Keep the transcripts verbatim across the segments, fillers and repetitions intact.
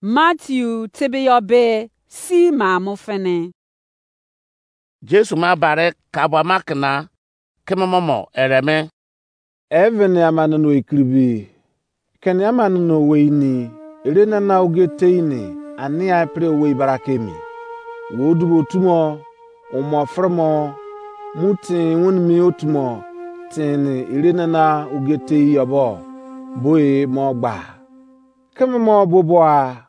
Matthew tebe yọ be si ma mo fini. Jesu ma bare kabua ma kena keme momo ereme. Even ama nono ekiribi. Keni ama nono wei ni ere nana oge tei ni ania pre owei barake mi. Wo dubo tumo umo fremo mu tin won mi otumo tin ni ere nana oge tei yobo. Boe mo gba. Keme mo boboa.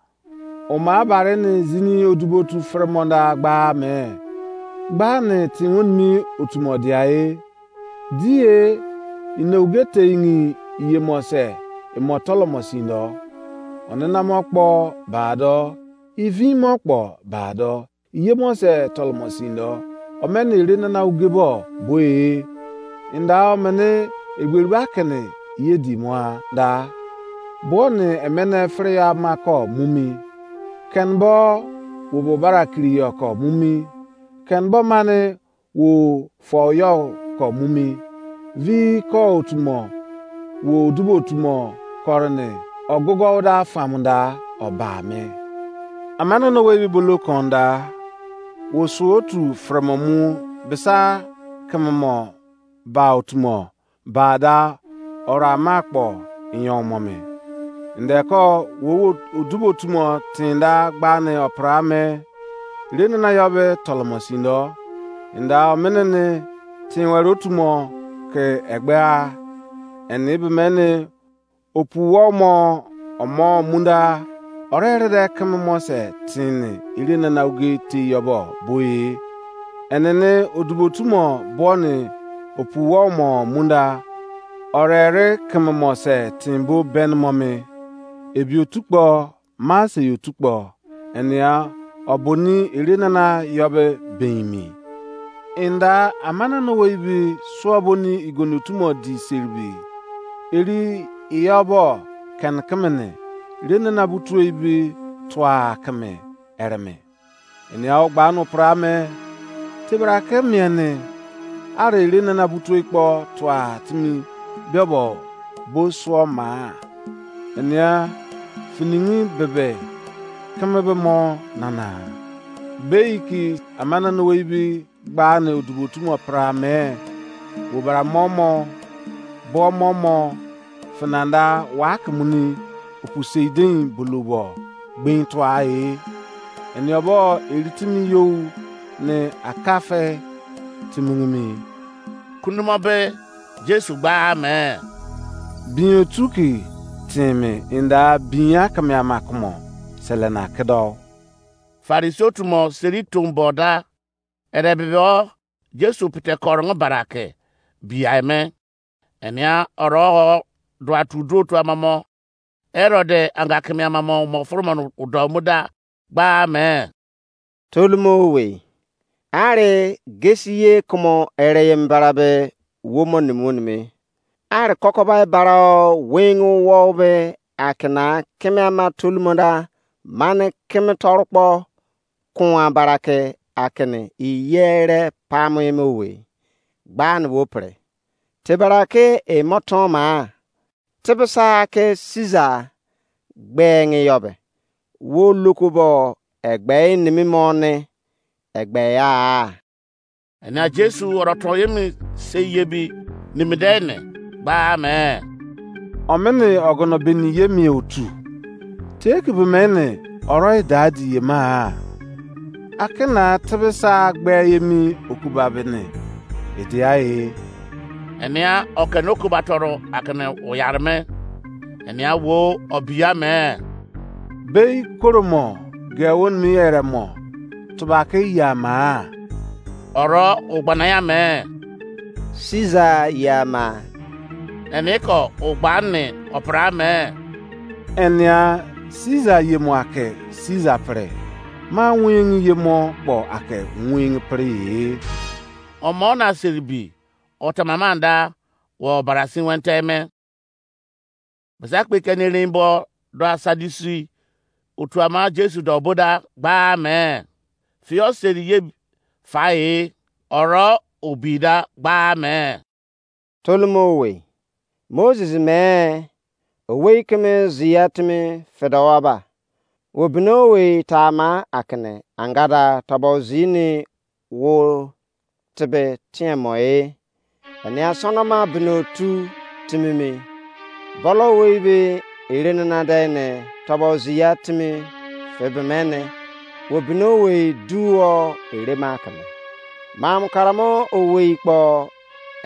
Oma bare ni zini odubotu fremonda gba me. Gba ni tin won mi otumo diae. Die ina uge teingi iye mo se imo tolomo sindo. Onena mo kpo ba do. Ivi mo kpo ba do. Iye mo se tolomo sindo. Omeni ere nana uge bo boe. Inda omeni egberi ba kini iye di mo da. Bo ni emene fere ya ma ko mumi. Ken bo wo bo bara kiri yo ko mumi. Ken bo mani wo fo yo ko mumi. Vi ko otumo wo dubo otumo korini ogogo da famda oba me. Amana no we bi bolo konda wo su otu fremo mu bisa kememo ba otumo ba da ora ma kpo inyo mo me. Nde ko wo wo odubo tumo tinda gba ni opra me. Re nana yo be tolomo sindo. Nda omene ni tin were otumo ke egbe a. Eni be me ni opu wo mo omo munda. Ore re de keme mo se tin ni ire nana uge te yobo boe. Enene odubo tumo bo ni opu wo mo munda. Ore re keme mo se tin bo ben mo me. Ebi otu kpo ma se otu kpo. Enia oboni ere nana yobe beimi. Inda amana no wei bi suo boni igoni otumo di seribi. Eri iyobo ken kemene ere nana butue bi tua keme ereme. Enia ogba no pra me tebra ke miene are ere nana butue kpo tua timi biobo bo suo ma. Enia finingi bebe keme be mo nana. Bei ki amana no wei bi gba ne odubo tumo pra me. Wo bara momo bo momo finanda wa kemuni opu seidin bulubo gbin tua e. Eni obo eritimi you ne akafe timungimi. Kundumo be Jesu gba me. Bin otu ki timi inda bin akeme ama kumo selena kedo. Farisi otumo seri tumbo da. Ere bibo Jesu pete korong barake biai me. Enia oro dua tu dua tu amamo. Herode anga keme amamo mo furumon udo muda gba me. Tolumo we. Are gesi ye kumo ere ye mbara be wo mo nimu nimi. Are kokoba bara o wing wo be akina keme ama tolumo da mane keme torukpo kun abarake akini iyere pamu ime owe. Gba ni wo pre. Tebara ke emo ton ma. Tebisa ke Caesar gbe ngi yobe. Wo lokobo egbe nimi mo ni egbe ya. Enia Jesu oro to yemi se yebi nimide ne gba me. Omini ogono beni yemi otu. Teki be mene oro idadi yema. Akina tebisa gbe yemi okuba bene. Idia e. Enia okene okuba toro akene uyarme. Enia wo obiya me. Bei koromo ge won mi ere mo. Tubake yama. Oro ugbana ya me. Caesar yama. Eni ko ugba ni opra me. Enia Caesar yemo ake Caesar pre. Ma wingi yemo kpo ake wingi pre ye. Omo na seribi otamamanda wo barasi wente me. Basa kpe keni rimbo do asadisi otu ama Jesu do boda gba me. Fio seri ye fa e oro obida gba me. Tolumo we. Moses me owei keme zia timi fedowa ba. Wo bino owei tama akene angada tọbọ zini wo tebe tiẹmọ e. Enia sọnọma bino otu timimi. Bọlọ owei be ere nana dẹ ne tọbọ ziya timi febe mene. Wo bino owei duo ere ma keme. Mamu karamo owei kpọ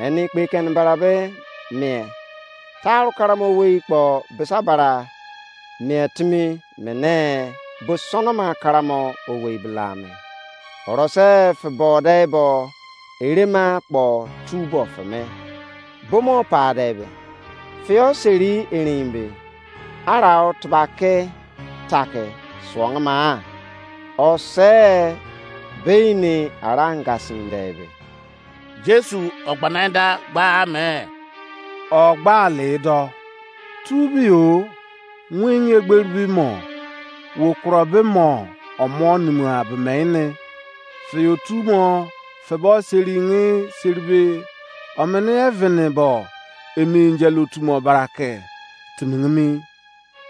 eni kpe keni barabe mie. Taru karamo owei kpọ bisa bara mie timi mene bo sọnọma karamo owei bilame. Orose febọ de bo erema kpọ tu bo feme. Bomo pa de be. Fio seri erin be. Arau tebake take suọngma. Ose beini ara ngasin de be. Jesu ọgbanada gbaa me. Ọgba le dọ. Tu bi o, win egberi bi mo. Wo kuro be mo, ọmọ nimu abe me ne. Fe otu mo, febo seri nge seribe. Omene evene bo, emi injel otu mo barake. Timingimi.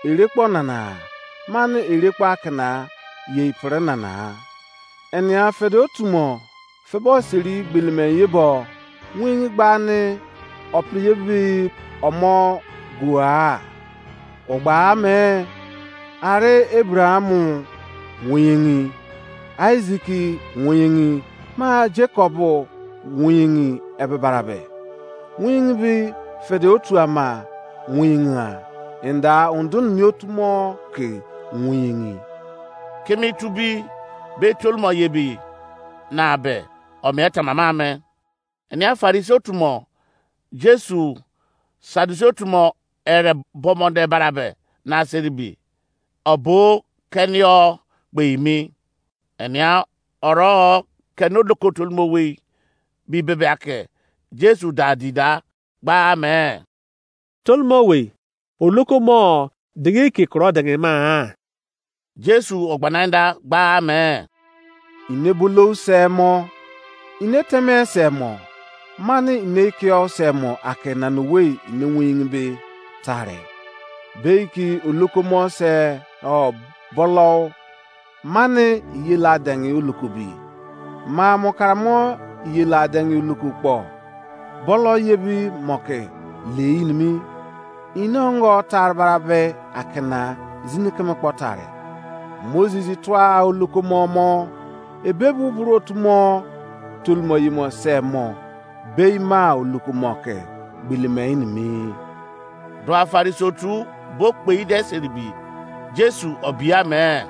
Erekpo nana, mani erekpo akena, ye ipere nana. Enia fede otu mo, febo seri gbelime ye bo, win gbani, opri ye bi omo gua. Ogba me, are Abraham win, Isaac win, ma Jacob win ebe barabe. Win bi fede otu ama win a. Enda undun mi otu mo ke win. Kimi tu bi be tolmo ye bi na be o mie tamama me. Enia Farisi otu mo Jesu Sadusi otu mo ere bomo de barabe na seri bi. Obo kenio gbe imi. Enia oro keni oloko tolmo wei bi bebe ake Jesu da di da gbaa me. Tolmo wei, oloko mo digi ki kuro digi ma. Jesu ogbanada gbaa me. Ine bulou se mo, ine teme se mo, mani ine ikio se mo ake nanu wei ine win be tare. Bei ki oloko mo se o bolou, mani iye la dengi oloku bi. Ma mo karamo iye la dengi oloku kpo. Bolo ye bi mo ke le inimi. Ino ngo tar barabe akena zini keme kpo tare. Moses tua oloku mo mo. Ebe bu buru otu mo tolmo yimo se mo. Bei ma oloku mo ke gbili me inimi. Dua Farisi otu bo kpei de seribi. Jesu obia me.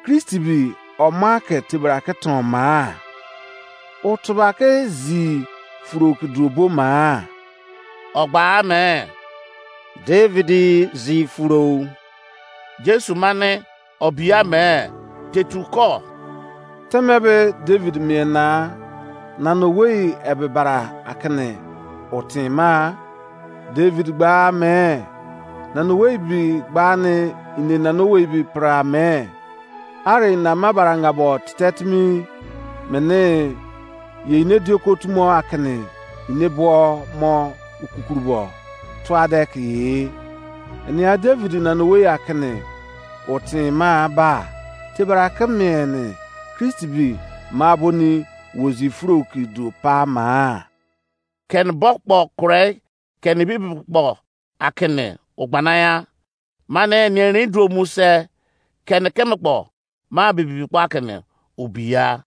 Kristi bi ọma ke tebra ke ton ma? O tebra ke zi furo ke duo bo ma? Ọgba me. David zi furo. Jesu mane obia me tetu ko. Teme be David mie na nana owei ebe bara akene o tin ma? David gba me nana owei bi gba ne ine nana owei bi pra me. Are ina ma baranga bo tetetimi mene ye ine dioko tumo akene ine bo mo ukukurubo tuade ke ye. Enia David nana owei akene o tin ma ba tebra ke mene Kristi bi ma boni wozi furo ki du pa ma. Keni bo kpo kure keni bibi kpo akene ogbanaya. Mane ni erin duo mu se keni keme kpo ma bibi kpo akene obiya.